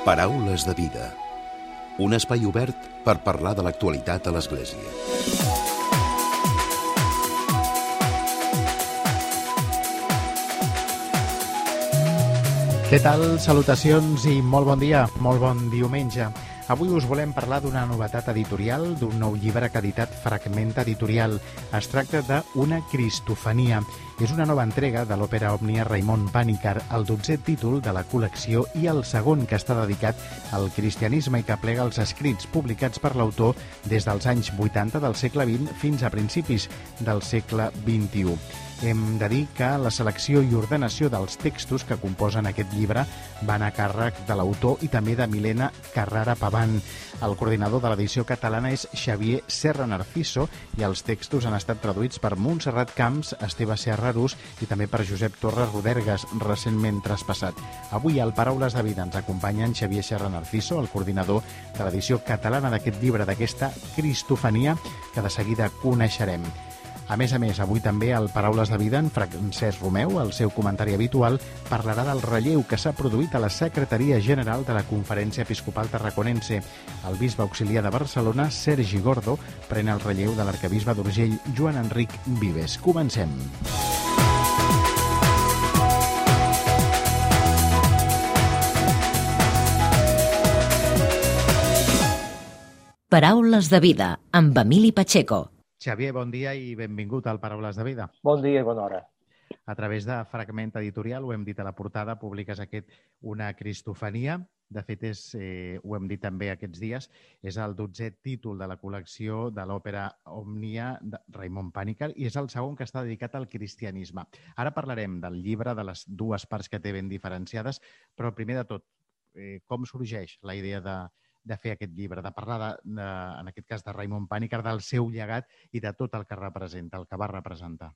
Paraules de vida. Un espai obert per parlar de l'actualitat a l'Església. Què tal? Salutacions i molt bon dia, molt bon diumenge. Avui us volem parlar d'una novetat editorial, d'un nou llibre que ha editat Fragment Editorial. Es tracta d'Una Cristofania. És una nova entrega de l'òpera òmnia Raimon Pàniker, el 12è títol de la col·lecció i el segon que està dedicat al cristianisme i que plega els escrits publicats per l'autor des dels anys 80 del segle XX fins a principis del segle XXI. Hem de dir que la selecció i ordenació dels textos que composen aquest llibre van a càrrec de l'autor i també de Milena Carrara Paván. El coordinador de l'edició catalana és Xavier Serra Narciso i els textos han estat traduïts per Montserrat Camps, Esteve Serrarús i també per Josep Torres Rodergas, recentment traspassat. Avui al Paraules de Vida ens acompanyen Xavier Serra Narciso, el coordinador de l'edició catalana d'aquest llibre, d'aquesta Cristofania, que de seguida coneixerem. A més, avui també al Paraules de Vida, en Francesc Romeu, el seu comentari habitual, parlarà del relleu que s'ha produït a la Secretaria General de la Conferència Episcopal Tarraconense. El bisbe auxiliar de Barcelona, Sergi Gordo, pren el relleu de l'arquebisbe d'Urgell, Joan Enric Vives. Comencem. Paraules de Vida, amb Emili Pacheco. Xavier, bon dia i benvingut al Paraules de Vida. Bon dia i bona hora. A través de Fragment Editorial, ho hem dit a la portada, publiques Una Cristofania. De fet, ho hem dit també aquests dies, és el 12è títol de la col·lecció de l'òpera òmnia de Raimon Pàniker i és el segon que està dedicat al cristianisme. Ara parlarem del llibre, de les dues parts que té ben diferenciades, però primer de tot, com sorgeix la idea de fer aquest llibre, de parlar, en aquest cas, de Raimon Pàniker, del seu llegat i de tot el que representa, el que va representar?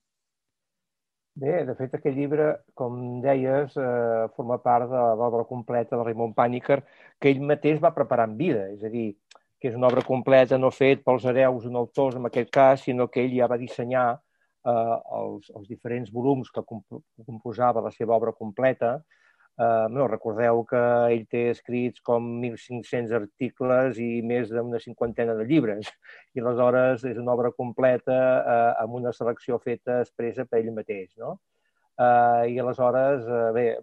Bé, de fet, aquest llibre, com deies, forma part de l'obra completa de Raimon Pàniker, que ell mateix va preparar en vida. És a dir, que és una obra completa no fet pels hereus d'un autor, en aquest cas, sinó que ell ja va dissenyar els diferents volums que composava la seva obra completa. Recordeu que ell té escrits com 1.500 articles i més d'una cinquantena de llibres. I aleshores és una obra completa amb una selecció feta expressa per ell mateix. No? I aleshores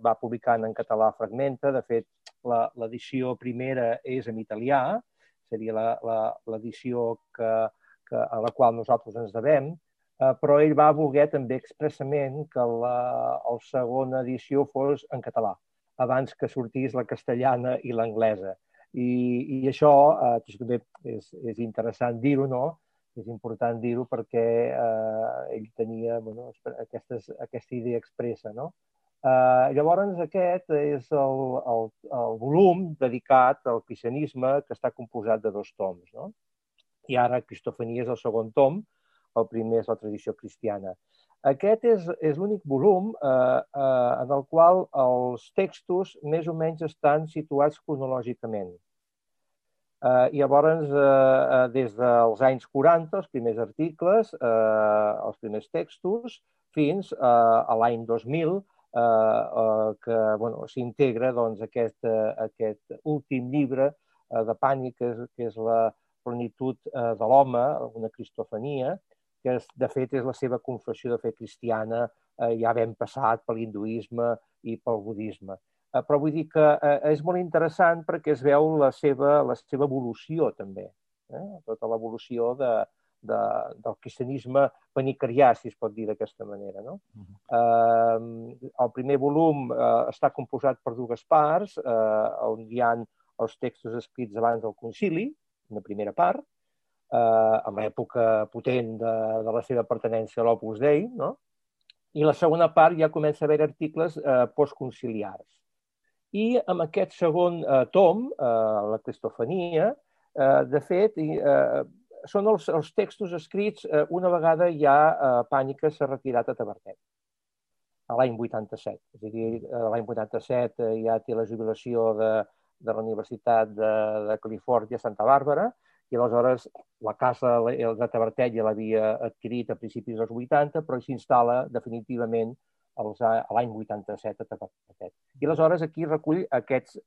va publicant en català Fragmenta. De fet, l'edició primera és en italià, seria l'edició a la qual nosaltres ens devem, però ell va voler també expressament que la segona edició fos en català, abans que sortís la castellana i l'anglesa. I això també és interessant dir-ho, no? És important dir-ho perquè ell tenia aquesta idea expressa, no? Llavors aquest és el volum dedicat al cristianisme que està composat de 2 toms, no? I ara Cristofania és el segon tom. El primer és la tradició cristiana. Aquest és l'únic volum en el qual els textos més o menys estan situats cronològicament. I llavors, des dels anys 40, els primers articles, els primers textos, fins a l'any 2000, que s'integra aquest últim llibre de Pàniker, que és la plenitud de l'home, una cristofania, que de fet és la seva confessió de fe cristiana, ja ben passat per l'hinduisme i pel budisme. Però vull dir que és molt interessant perquè es veu la seva evolució també, tota l'evolució del cristianisme panicarià, si es pot dir d'aquesta manera. No? El primer volum està composat per 2 parts, on hi ha els textos escrits abans del concili, una primera part, en l'època potent de la seva pertinença a l'Opus Dei, no? I la segona part ja comença a haver articles postconciliars. I amb aquest segon tom, la Cristofania, de fet, són els textos escrits una vegada ja Pàniker s'ha retirat a Tavertet, a l'any 87. És a dir, l'any 87 ja té la jubilació de la Universitat de Califòrnia a Santa Bàrbara, i aleshores la casa de Tavertet ja l'havia adquirit a principis dels 80, però s'instal·la definitivament a l'any 87 a Tavertet. I aleshores aquí recull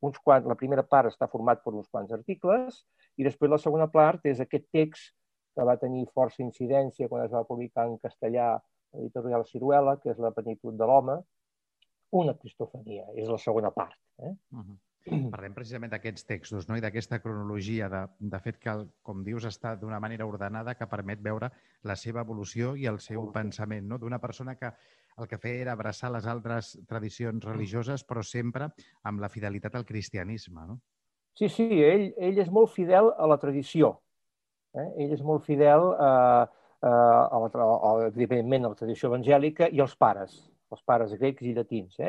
uns quants, la primera part està format per uns quants articles i després la segona part és aquest text que va tenir força incidència quan es va publicar en castellà a l'editorial Ciruela, que és La plenitud de l'home, una cristofania, és la segona part. Parlem precisament d'aquests textos, no? I d'aquesta cronologia, de fet que, com dius, està d'una manera ordenada que permet veure la seva evolució i el seu pensament, no? D'una persona que el que feia era abraçar les altres tradicions religioses, però sempre amb la fidelitat al cristianisme, no? Sí, ell és molt fidel a la tradició. Ell és molt fidel, evidentment, a la tradició evangèlica i als pares grecs i llatins.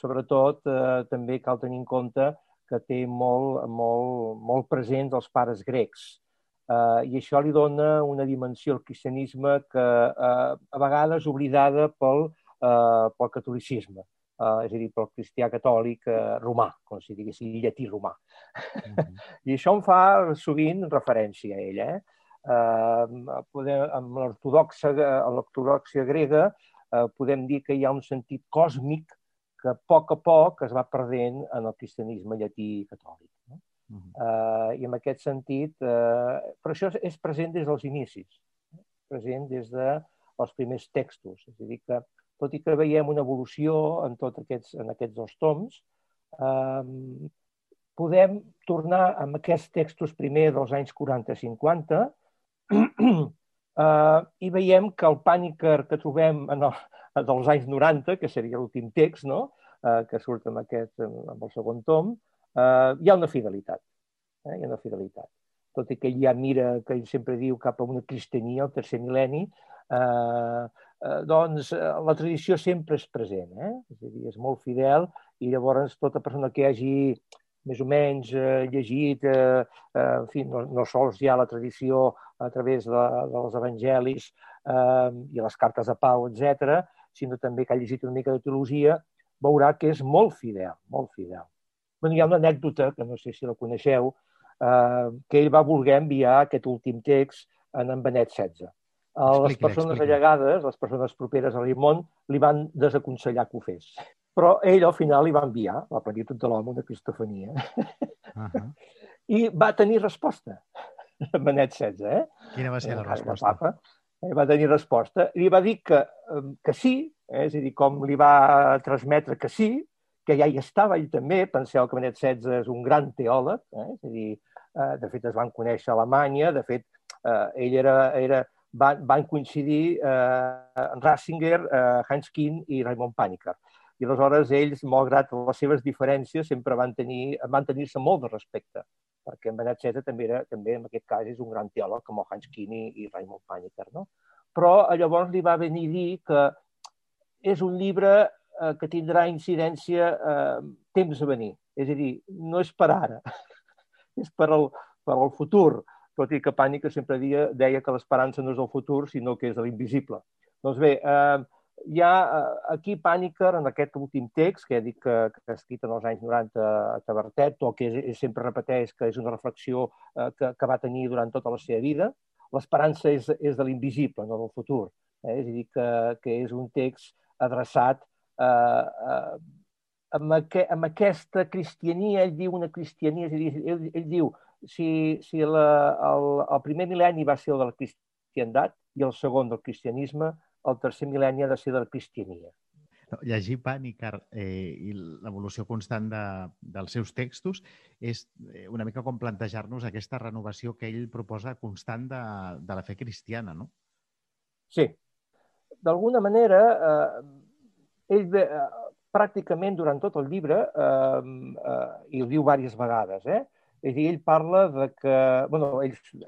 Sobretot, també cal tenir en compte que té molt presents els pares grecs. I això li dona una dimensió al cristianisme que a vegades oblidada pel catolicisme, és a dir, pel cristià catòlic romà, com si diguéssim, llatí romà. I això em fa sovint referència a ell. Amb l'ortodòxia grega podem dir que hi ha un sentit còsmic que a poc es va perdent en el cristianisme llatí catòlic. I en aquest sentit, però això és present des dels inicis, present des dels primers textos. És a dir, que tot i que veiem una evolució en aquests dos toms, podem tornar amb aquests textos primer dels anys 40-50 i veiem que el Pàniker que trobem dels anys 90, que seria l'últim text, que surt amb el segon tom, hi ha una fidelitat. Tot i que ell ja mira, que ell sempre diu, cap a una cristiania, el tercer mil·lenni, doncs la tradició sempre és present. És a dir, és molt fidel i llavors tota persona que hagi més o menys llegit, en fi, no sols ja la tradició a través dels evangelis i les cartes de Pau, etc., sinó també que ha llegit una mica de teologia, veurà que és molt fidel, molt fidel. Hi ha una anècdota, que no sé si la coneixeu, que ell va voler enviar aquest últim text a en Benet XVI. Les persones allegades, les persones properes a Rimon, li van desaconsellar que ho fes. Però ell al final li va enviar La plenitud de l'home, una cristofania. I va tenir resposta, Benet XVI. Quina va ser la resposta? Va tenir resposta. Li va dir que sí, és a dir, com li va transmetre que sí, que ja hi estava ell també. Penseu que Benet XVI és un gran teòleg, és a dir, de fet es van conèixer a Alemanya, de fet van coincidir Ratzinger, Hans Kuhn i Raimon Panikkar. I aleshores ells, malgrat les seves diferències, sempre van tenir-se molt de respecte, perquè en Benet XVI també en aquest cas és un gran teòleg com el Hans Kuhn i Raimon Panikkar. Però llavors li va venir a dir que és un llibre que tindrà incidència temps a venir. És a dir, no és per ara, és per al futur, tot i que Panikkar sempre deia que l'esperança no és el futur, sinó que és l'invisible. Doncs bé, hi ha aquí Panikkar, en aquest últim text, que he dit que ha escrit en els anys 90 a Tavertet, o que sempre repeteix que és una reflexió que va tenir durant tota la seva vida. L'esperança és de l'invisible, no del futur. És a dir, que és un text adreçat amb aquesta cristiania. Ell diu una cristiania, és a dir, ell diu si el primer mil·lenni va ser el de la cristiandat i el segon del cristianisme, el tercer mil·lenni ha de ser de la cristiania. Llegir Panikkar i l'evolució constant dels seus textos és una mica com plantejar-nos aquesta renovació que ell proposa constant de la fe cristiana, no? Sí. D'alguna manera, ell pràcticament durant tot el llibre, i ho diu diverses vegades, és a dir, ell parla de que,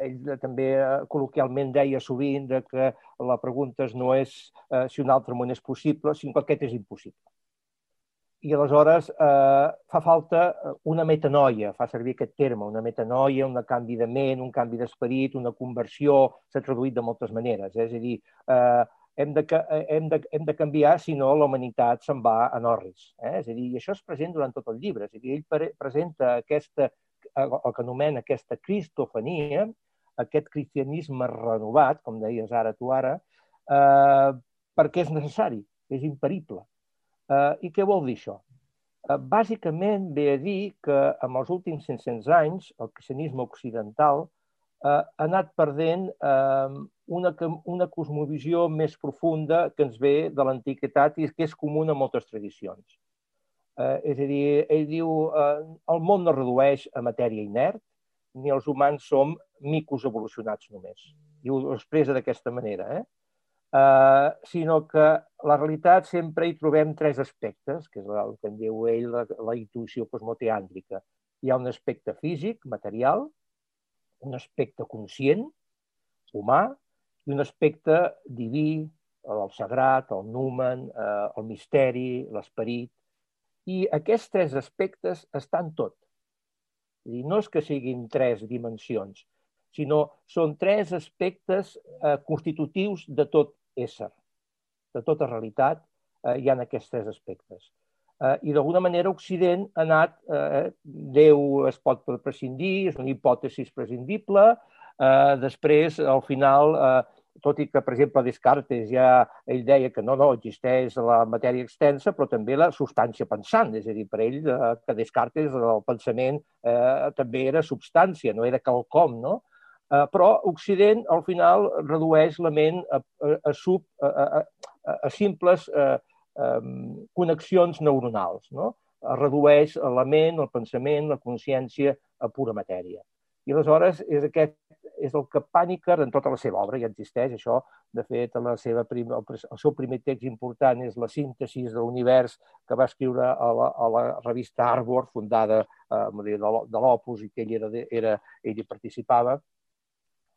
ell també col·loquialment deia sovint que la pregunta no és si un altre món és possible, sinó que aquest és impossible. I aleshores fa falta una metanoia, fa servir aquest terme, una metanoia, un canvi de ment, un canvi d'esperit, una conversió, s'ha traduït de moltes maneres. És a dir, hem de canviar, si no la humanitat se'n va en orris. És a dir, i això és present durant tot el llibre. És a dir, ell presenta el que anomena aquesta cristofania, aquest cristianisme renovat, com deies tu ara, perquè és necessari, és imperible. I què vol dir això? bàsicament ve a dir que en els últims 500 anys el cristianisme occidental ha anat perdent una cosmovisió més profunda que ens ve de l'antiguitat i que és comuna a moltes tradicions. És a dir, ell diu el món no redueix a matèria inert, ni els humans som micos evolucionats només. I ho expressa d'aquesta manera, sinó que la realitat sempre hi trobem tres aspectes, que és el que en diu ell la intuïció cosmoteàndrica. Hi ha un aspecte físic, material, un aspecte conscient, humà, i un aspecte diví, el sagrat, el numen, el misteri, l'esperit. I aquests tres aspectes estan tot. És a dir, no és que siguin tres dimensions, sinó són tres aspectes constitutius de tot ésser, de tota realitat, hi ha aquests tres aspectes. I d'alguna manera Occident ha anat, Déu es pot prescindir, és una hipòtesi prescindible, després, al final, tot i que, per exemple, Descartes ell deia que no existeix la matèria extensa, però també la substància pensant, és a dir, per ell, que Descartes, el pensament també era substància, no era quelcom, no? Però Occident, al final, redueix la ment a simples connexions neuronals, no? Redueix la ment, el pensament, la consciència a pura matèria. I aleshores és el que Panikkar, en tota la seva obra, ja existeix això. De fet, el seu primer text important és la síntesi de l'univers que va escriure a la revista Arbor, fundada de l'Opus, i que ell hi participava.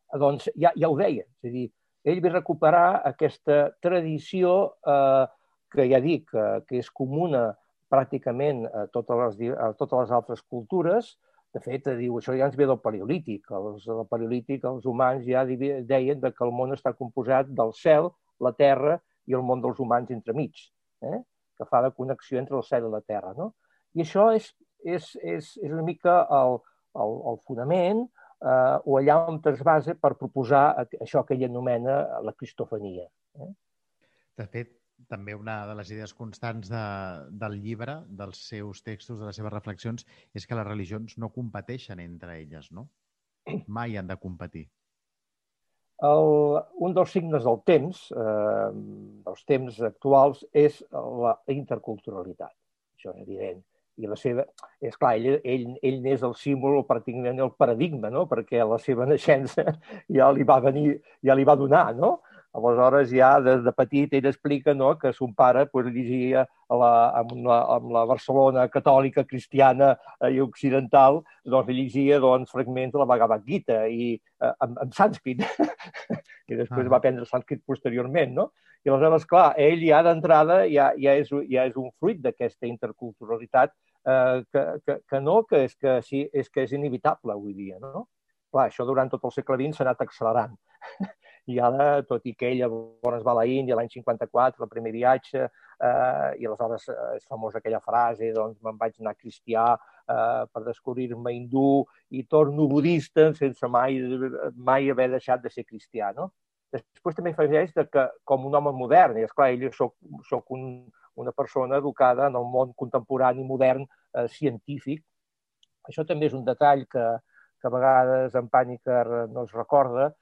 Doncs ja ho deia. És a dir, ell va recuperar aquesta tradició que ja dic, que és comuna pràcticament a totes les altres cultures. De fet, diu, això ja ens ve del Paleolític. Al Paleolític els humans ja deien que el món està composat del cel, la terra i el món dels humans entremig, que fa de connexió entre el cel i la terra. No? I això és una mica el fonament o allà on es basa per proposar això que ell anomena la cristofania. De fet, també una de les idees constants del llibre, dels seus textos, de les seves reflexions, és que les religions no competeixen entre elles, no? Mai han de competir. Un dels signes del temps, dels temps actuals, és la interculturalitat. Això és evident. I la seva... És clar, ell n'és el símbol, pràcticament el paradigma, no? Perquè la seva naixença ja li va donar, no? Aleshores, ja de petit, ell explica que son pare llegia amb la Barcelona catòlica, cristiana i occidental, llegia fragments de la Bhagavad Gita i en sànscrit. I després va aprendre sànscrit posteriorment, no? I aleshores, clar, ell ja d'entrada ja és un fruit d'aquesta interculturalitat que és inevitable avui dia, no? Clar, això durant tot el segle XX s'ha anat accelerant. I ara, tot i que ell llavors va a la Índia l'any 54, el primer viatge, i aleshores és famosa aquella frase, doncs me'n vaig anar cristià per descobrir-me hindú i torno budista sense mai haver deixat de ser cristià, no? Després també afegeix que com un home modern, i esclar, ell soc una persona educada en el món contemporani, modern, científic. Això també és un detall que a vegades en Panikkar no es recorda,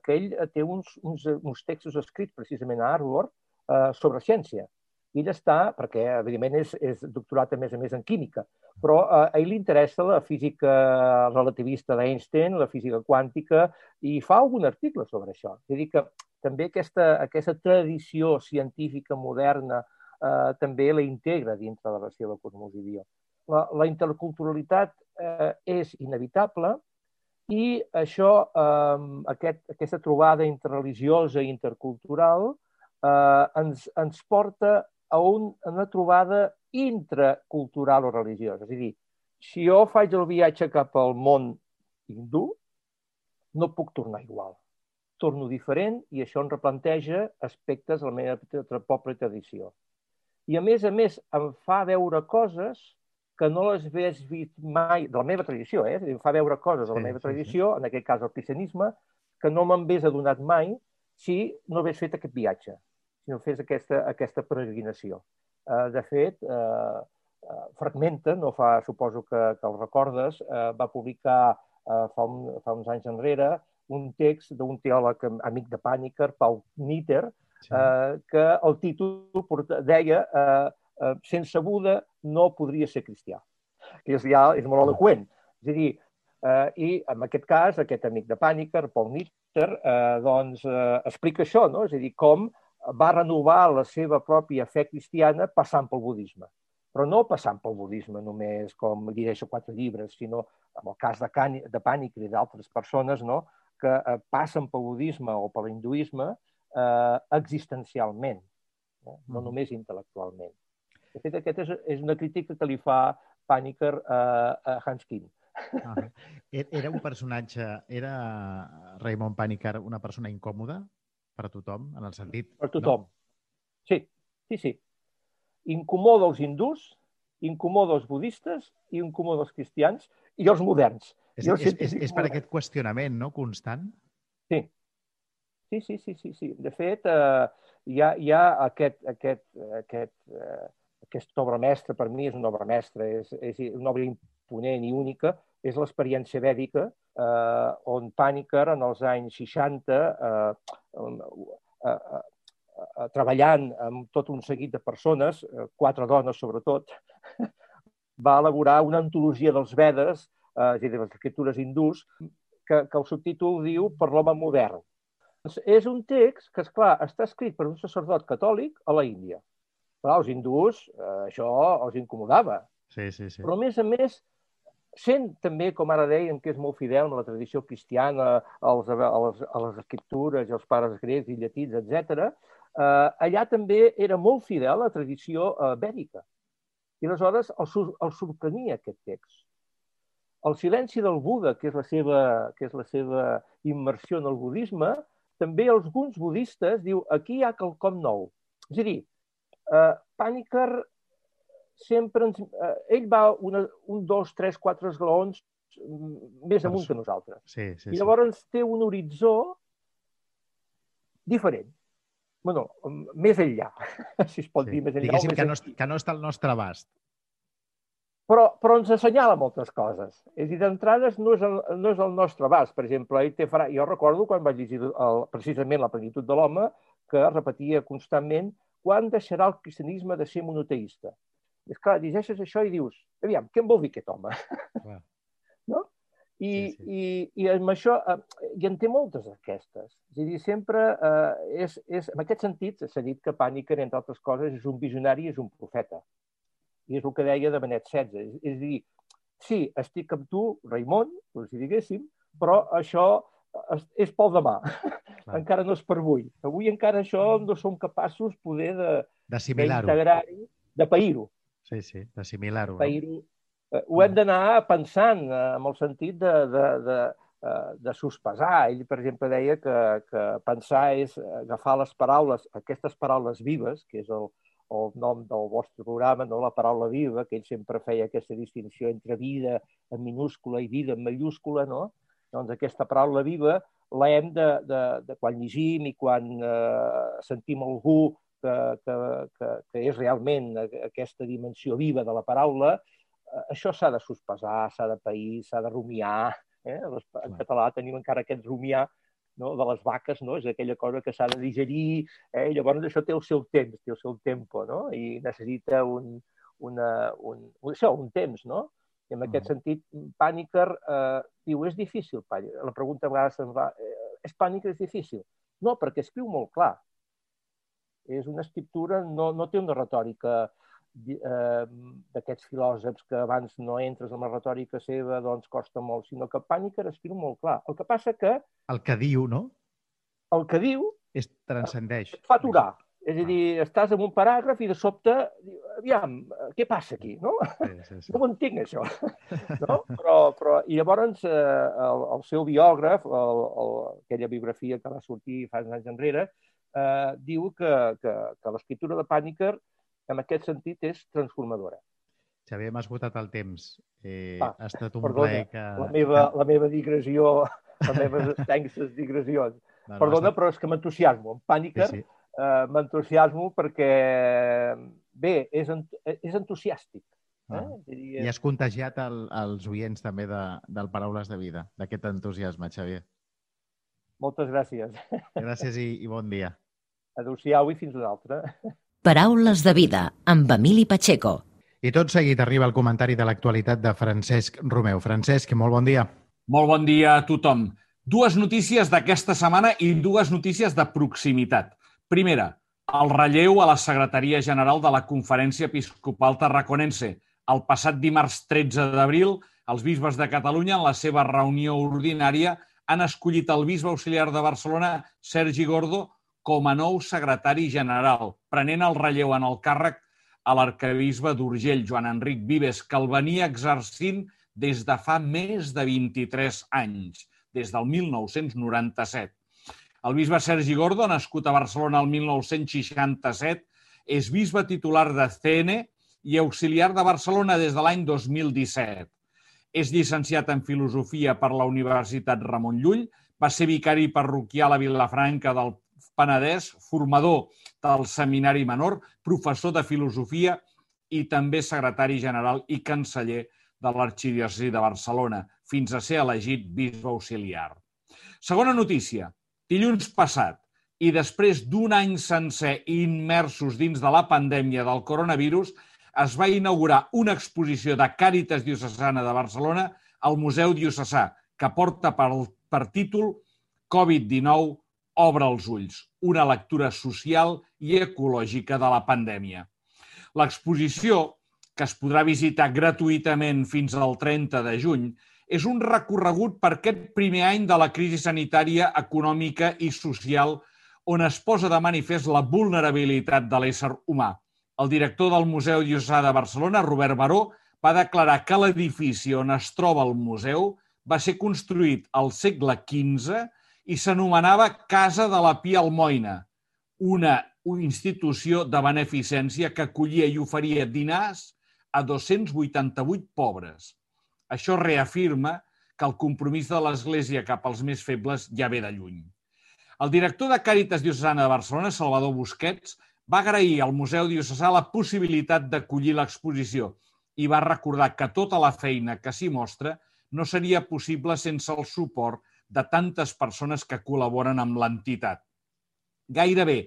que ell té uns textos escrits precisament a Harvard sobre ciència. Ell està, perquè evidentment és doctorat a més en química, però a ell li interessa la física relativista d'Einstein, la física quàntica, i fa algun article sobre això. És a dir, que també aquesta tradició científica moderna també la integra dintre de la seva cosmovisió. La interculturalitat és inevitable, i això, aquesta trobada interreligiosa i intercultural ens porta a una trobada intracultural o religiosa. És a dir, si jo faig el viatge cap al món hindú, no puc tornar igual. Torno diferent i això em replanteja aspectes de la meva pròpia tradició. I a més em fa veure coses que no les hagués vist mai de la meva tradició, em fa veure coses de la meva tradició, en aquest cas el cristianisme, que no me'n hagués adonat mai si no hagués fet aquest viatge, si no fes aquesta peregrinació. De fet, Fragmenta, suposo que el recordes, va publicar fa uns anys enrere un text d'un teòleg amic de Pàniker, Paul Nitter, que el títol deia «Sense Buda no podria ser cristià», que és molt eloqüent. És a dir, i en aquest cas, aquest amic de Pàniker, Paul Nitter, explica això, no? És a dir, com va renovar la seva pròpia fe cristiana passant pel budisme. Però no passant pel budisme només, com llegeixo 4 llibres, sinó en el cas de Pàniker i d'altres persones, no?, que passen pel budisme o per l'hinduisme existencialment, no només intel·lectualment. De fet, aquesta és una crítica que li fa Pàniker a Hans Kim. Era un personatge, era Raymond Pàniker una persona incòmoda per a tothom, en el sentit... Per tothom. Sí. Incomoda els hindús, incomoda els budistes, incomoda els cristians i els moderns. És per aquest qüestionament, no?, constant? Sí. De fet, hi ha aquesta obra mestra, per mi és una obra mestra, és una obra imponent i única, és l'experiència vèdica, on Pàniker, en els anys 60, treballant amb tot un seguit de persones, 4 dones sobretot, va elaborar una antologia dels Vedes, és a dir, de les escriptures hindús, que el subtítol diu Per l'home modern. És un text que, esclar, està escrit per un sacerdot catòlic a la Índia. Clar, els hindús, això els incomodava. Sí. Però, a més, sent també, com ara dèiem, que és molt fidel a la tradició cristiana, a les escriptures i als pares grecs i llatins, etc., allà també era molt fidel a la tradició vèdica. I aleshores el sorprenia aquest text. El silenci del Buda, que és la seva immersió en el budisme, també alguns budistes diu aquí hi ha quelcom nou. És a dir, Pàniker sempre ell va 1, 2, 3, 4 esglaons més amunt que nosaltres. I llavors té un horitzó diferent. Bueno, més enllà, si es pot dir més enllà. Diguéssim que no està al nostre abast. Però ens assenyala moltes coses. És a dir, d'entrades no és el nostre abast. Per exemple, jo recordo quan vaig llegir precisament La plenitud de l'home, que repetia constantment quan deixarà el cristianisme de ser monoteista. És clar, llegeixes això i dius, aviam, què en vol dir aquest home? No? I amb això, i en té moltes d'aquestes. És a dir, sempre en aquest sentit s'ha dit que Pàniker, entre altres coses, és un visionari i és un profeta. I és el que deia de Benet XVI. És a dir, sí, estic amb tu, Raimon, com si diguéssim, però això és pel demà. Encara no és per avui. Avui encara això no som capaços poder d'integrar-hi, de pair-ho. Sí, d'assimilar-ho. Ho hem d'anar pensant en el sentit de sospesar. Ell, per exemple, deia que pensar és agafar les paraules, aquestes paraules vives, que és el nom del vostre programa, no? La paraula viva, que ell sempre feia aquesta distinció entre vida en minúscula i vida en mayúscula, no? Doncs aquesta paraula viva l'hem de quan llegim i quan sentim algú que és realment aquesta dimensió viva de la paraula, això s'ha de sospesar, s'ha de pair, s'ha de rumiar. En català tenim encara aquest rumiar de les vaques, és aquella cosa que s'ha de digerir, i llavors això té el seu temps, té el seu tempo, i necessita un temps, no? I en aquest sentit, Pàniker diu, és difícil, la pregunta a vegades se'n va, és Pàniker, és difícil? No, perquè escriu molt clar. És una escriptura, no té una retòrica d'aquests filòsofs que abans no entres en la retòrica seva, doncs costa molt, sinó que Pàniker escriu molt clar. El que passa que... El que diu, no? El que diu... transcendeix. Et fa aturar. És a dir, estàs en un paràgraf i de sobte, aviam, què passa aquí, no? No ho entenc, això. I llavors el seu biògraf, aquella biografia que va sortir fa anys enrere, diu que l'escriptura de Pàniker en aquest sentit és transformadora. Xavier, m'has votat el temps. Ha estat un plaer que... La meva digressió, les meves extenses digressions. Perdona, però és que m'entusiasmo. En Pàniker m'entusiasmo perquè, bé, és entusiàstic. I has contagiat els oients també del Paraules de Vida, d'aquest entusiasme, Xavier. Moltes gràcies. Gràcies i bon dia. Adéu-siau i fins una altra. Paraules de Vida, amb Emili Pacheco. I tot seguit arriba el comentari de l'actualitat de Francesc Romeu. Francesc, molt bon dia. Molt bon dia a tothom. Dues notícies d'aquesta setmana i dues notícies de proximitat. Primera, el relleu a la Secretaria General de la Conferència Episcopal Tarraconense. El passat dimarts 13 d'abril, els bisbes de Catalunya, en la seva reunió ordinària, han escollit el bisbe auxiliar de Barcelona, Sergi Gordo, com a nou secretari general, prenent el relleu en el càrrec a l'arquebisbe d'Urgell, Joan Enric Vives, que el venia exercint des de fa més de 23 anys, des del 1997. El bisbe Sergi Gordo, nascut a Barcelona el 1967, és bisbe titular de CN i auxiliar de Barcelona des de l'any 2017. És llicenciat en Filosofia per la Universitat Ramon Llull, va ser vicari parroquial a Vilafranca del Penedès, formador del Seminari Menor, professor de Filosofia i també secretari general i canceller de l'Arxidiòcesi de Barcelona, fins a ser elegit bisbe auxiliar. Segona notícia. Dilluns passat, i després d'un any sencer immersos dins de la pandèmia del coronavirus, es va inaugurar una exposició de Càritas Diocesana de Barcelona al Museu Diocesà, que porta per títol Covid-19 obre els ulls, una lectura social i ecològica de la pandèmia. L'exposició, que es podrà visitar gratuïtament fins al 30 de juny, és un recorregut per aquest primer any de la crisi sanitària, econòmica i social on es posa de manifest la vulnerabilitat de l'ésser humà. El director del Museu Diocesà de Barcelona, Robert Baró, va declarar que l'edifici on es troba el museu va ser construït al segle XV i s'anomenava Casa de la Pia Almoina, una institució de beneficència que acollia i oferia dinars a 288 pobres. Això reafirma que el compromís de l'Església cap als més febles ja ve de lluny. El director de Càritas Diocesana de Barcelona, Salvador Busquets, va agrair al Museu Diocesà la possibilitat d'acollir l'exposició i va recordar que tota la feina que s'hi mostra no seria possible sense el suport de tantes persones que col·laboren amb l'entitat. Gairebé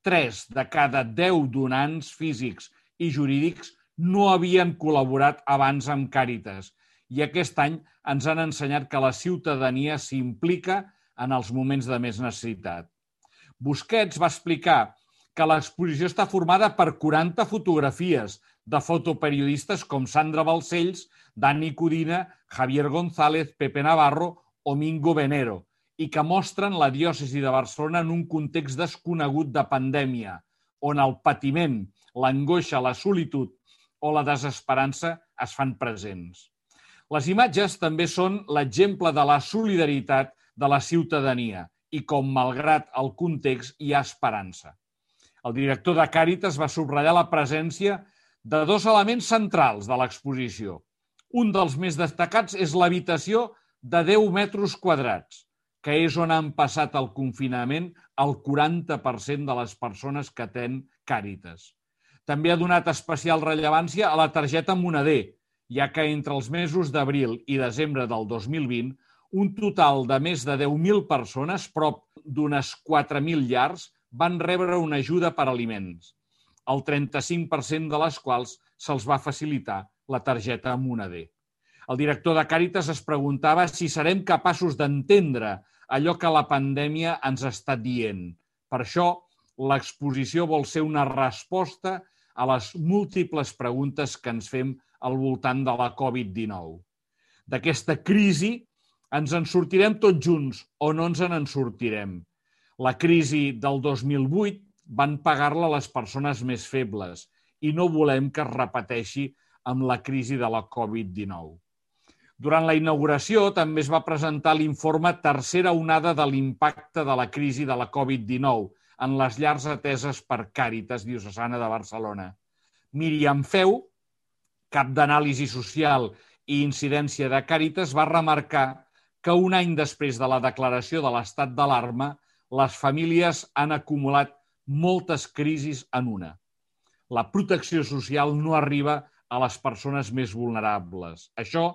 3 de cada 10 donants físics i jurídics no havien col·laborat abans amb Càritas i aquest any ens han ensenyat que la ciutadania s'implica en els moments de més necessitat. Busquets va explicar que l'exposició està formada per 40 fotografies de fotoperiodistes com Sandra Balcells, Dani Codina, Javier González, Pepe Navarro o Mingo Venero, i que mostren la diòcesi de Barcelona en un context desconegut de pandèmia, on el patiment, l'angoixa, la solitud o la desesperança es fan presents. Les imatges també són l'exemple de la solidaritat de la ciutadania i com, malgrat el context, hi ha esperança. El director de Càritas va subratllar la presència de 2 elements centrals de l'exposició. Un dels més destacats és l'habitació de 10 metres quadrats, que és on han passat el confinament el 40% de les persones que atén Càritas. També ha donat especial rellevància a la targeta moneder, ja que entre els mesos d'abril i desembre del 2020, un total de més de 10.000 persones, prop d'unes 4.000 llars, van rebre una ajuda per aliments, el 35% de les quals se'ls va facilitar la targeta moneder. El director de Càritas es preguntava si serem capaços d'entendre allò que la pandèmia ens està dient. Per això, l'exposició vol ser una resposta a les múltiples preguntes que ens fem al voltant de la Covid-19. D'aquesta crisi ens en sortirem tots junts o no ens en sortirem. La crisi del 2008 van pagar-la les persones més febles i no volem que es repeteixi amb la crisi de la Covid-19. Durant la inauguració també es va presentar l'informe Tercera onada de l'impacte de la crisi de la Covid-19 en les llars ateses per Càritas Diocesana de Barcelona. Míriam Feu, cap d'anàlisi social i incidència de Càritas, va remarcar que un any després de la declaració de l'estat d'alarma, les famílies han acumulat moltes crisis en una. La protecció social no arriba a les persones més vulnerables. Això,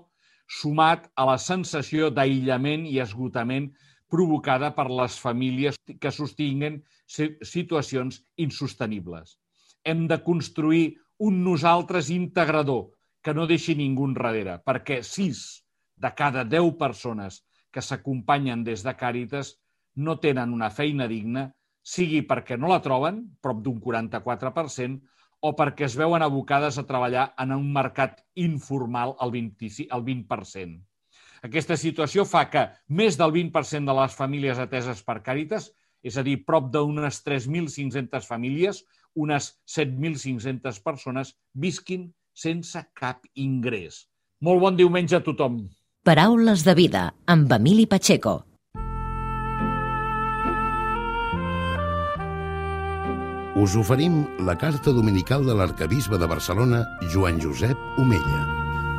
sumat a la sensació d'aïllament i esgotament provocada per les famílies que sostinguen situacions insostenibles. Hem de construir un nosaltres integrador que no deixi ningú enrere, perquè 6 de cada 10 persones que s'acompanyen des de Càritas no tenen una feina digna, sigui perquè no la troben, prop d'un 44%, o perquè es veuen abocades a treballar en un mercat informal al 20%. Aquesta situació fa que més del 20% de les famílies ateses per Càritas, és a dir, prop d'unes 3.500 famílies, unes 7.500 persones, visquin sense cap ingrés. Molt bon diumenge a tothom. Paraules de vida, amb Emili Pacheco. Us oferim la carta dominical de l'arquebisbe de Barcelona, Joan Josep Omella.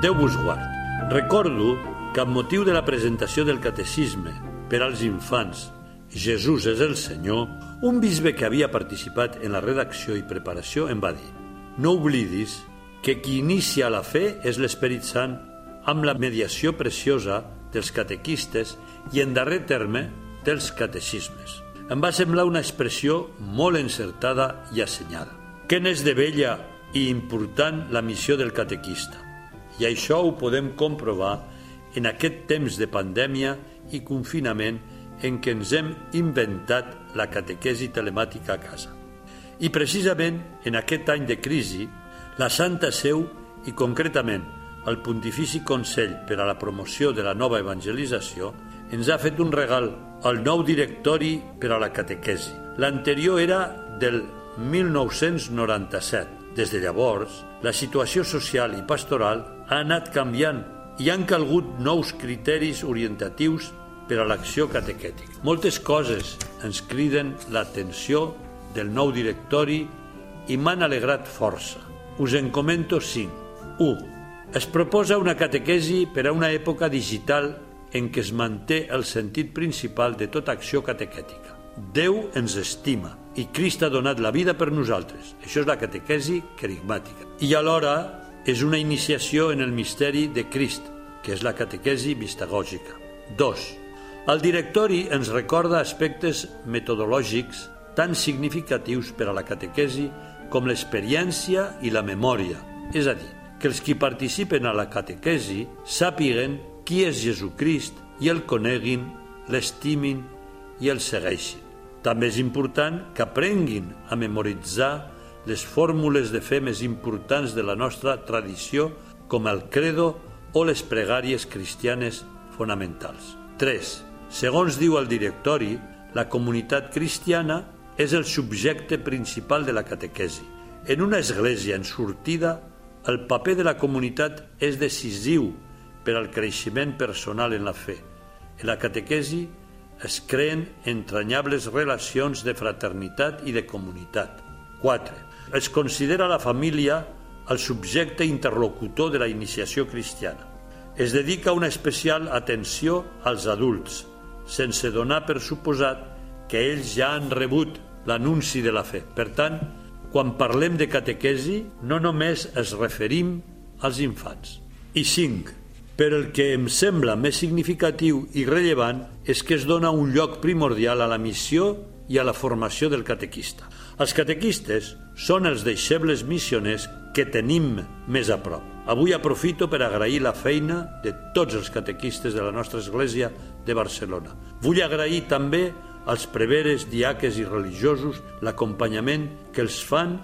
Déu vos guard. Recordo que amb motiu de la presentació del catecisme per als infants Jesús és el Senyor, un bisbe que havia participat en la redacció i preparació em va dir: no oblidis que qui inicia la fe és l'Esperit Sant amb la mediació preciosa dels catequistes i, en darrer terme, dels catecismes. Em va semblar una expressió molt encertada i assenyada. Que n'és de bella i important la missió del catequista. I això ho podem comprovar en aquest temps de pandèmia i confinament en què ens hem inventat la catequesi telemàtica a casa. I precisament en aquest any de crisi, la Santa Seu i concretament el Pontifici Consell per a la Promoció de la Nova Evangelització ens ha fet un regal, el nou directori per a la catequesi. L'anterior era del 1997. Des de llavors, la situació social i pastoral ha anat canviant i han calgut nous criteris orientatius per a l'acció catequètica. Moltes coses ens criden l'atenció del nou directori i m'han alegrat força. Us en comento 5. 1. Es proposa una catequesi per a una època digital en què es manté el sentit principal de tota acció catequètica. Déu ens estima i Crist ha donat la vida per nosaltres. Això és la catequesi querigmàtica. I alhora és una iniciació en el misteri de Crist, que és la catequesi mistagògica. 2. El directori ens recorda aspectes metodològics tan significatius per a la catequesi com l'experiència i la memòria, és a dir, que els qui participen a la catequesi sàpiguen qui és Jesucrist i el coneguin, l'estimin i el segueixin. També és important que aprenguin a memoritzar les fórmules de fe més importants de la nostra tradició, com el credo o les pregàries cristianes fonamentals. 3. Segons diu el directori, la comunitat cristiana és el subjecte principal de la catequesi. En una església en sortida, el paper de la comunitat és decisiu per al creixement personal en la fe. En la catequesi es creen entranyables relacions de fraternitat i de comunitat. 4. Es considera la família el subjecte interlocutor de la iniciació cristiana. Es dedica una especial atenció als adults, sense donar per suposat que ells ja han rebut l'anunci de la fe. Per tant, quan parlem de catequesi, no només es referim als infants. I 5. Però el que em sembla més significatiu i rellevant és que es dona un lloc primordial a la missió i a la formació del catequista. Els catequistes són els deixebles missioners que tenim més a prop. Avui aprofito per agrair la feina de tots els catequistes de la nostra església de Barcelona. Vull agrair també als preveres, diaques i religiosos l'acompanyament que els fan.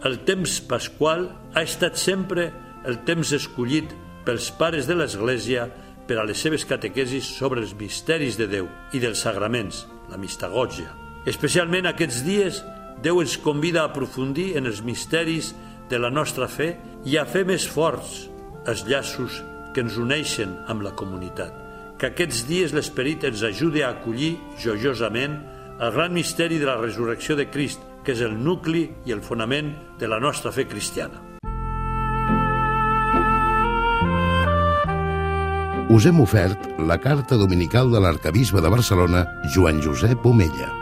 El temps pasqual ha estat sempre el temps escollit pels pares de l'Església per a les seves catequesis sobre els misteris de Déu i dels sagraments, la mistagògia. Especialment aquests dies, Déu ens convida a aprofundir en els misteris de la nostra fe i a fer més forts els llaços que ens uneixen amb la comunitat. Que aquests dies l'Esperit ens ajudi a acollir joiosament el gran misteri de la resurrecció de Crist, que és el nucli i el fonament de la nostra fe cristiana. Us hem ofert la carta dominical de l'arquebisbe de Barcelona, Joan Josep Omella.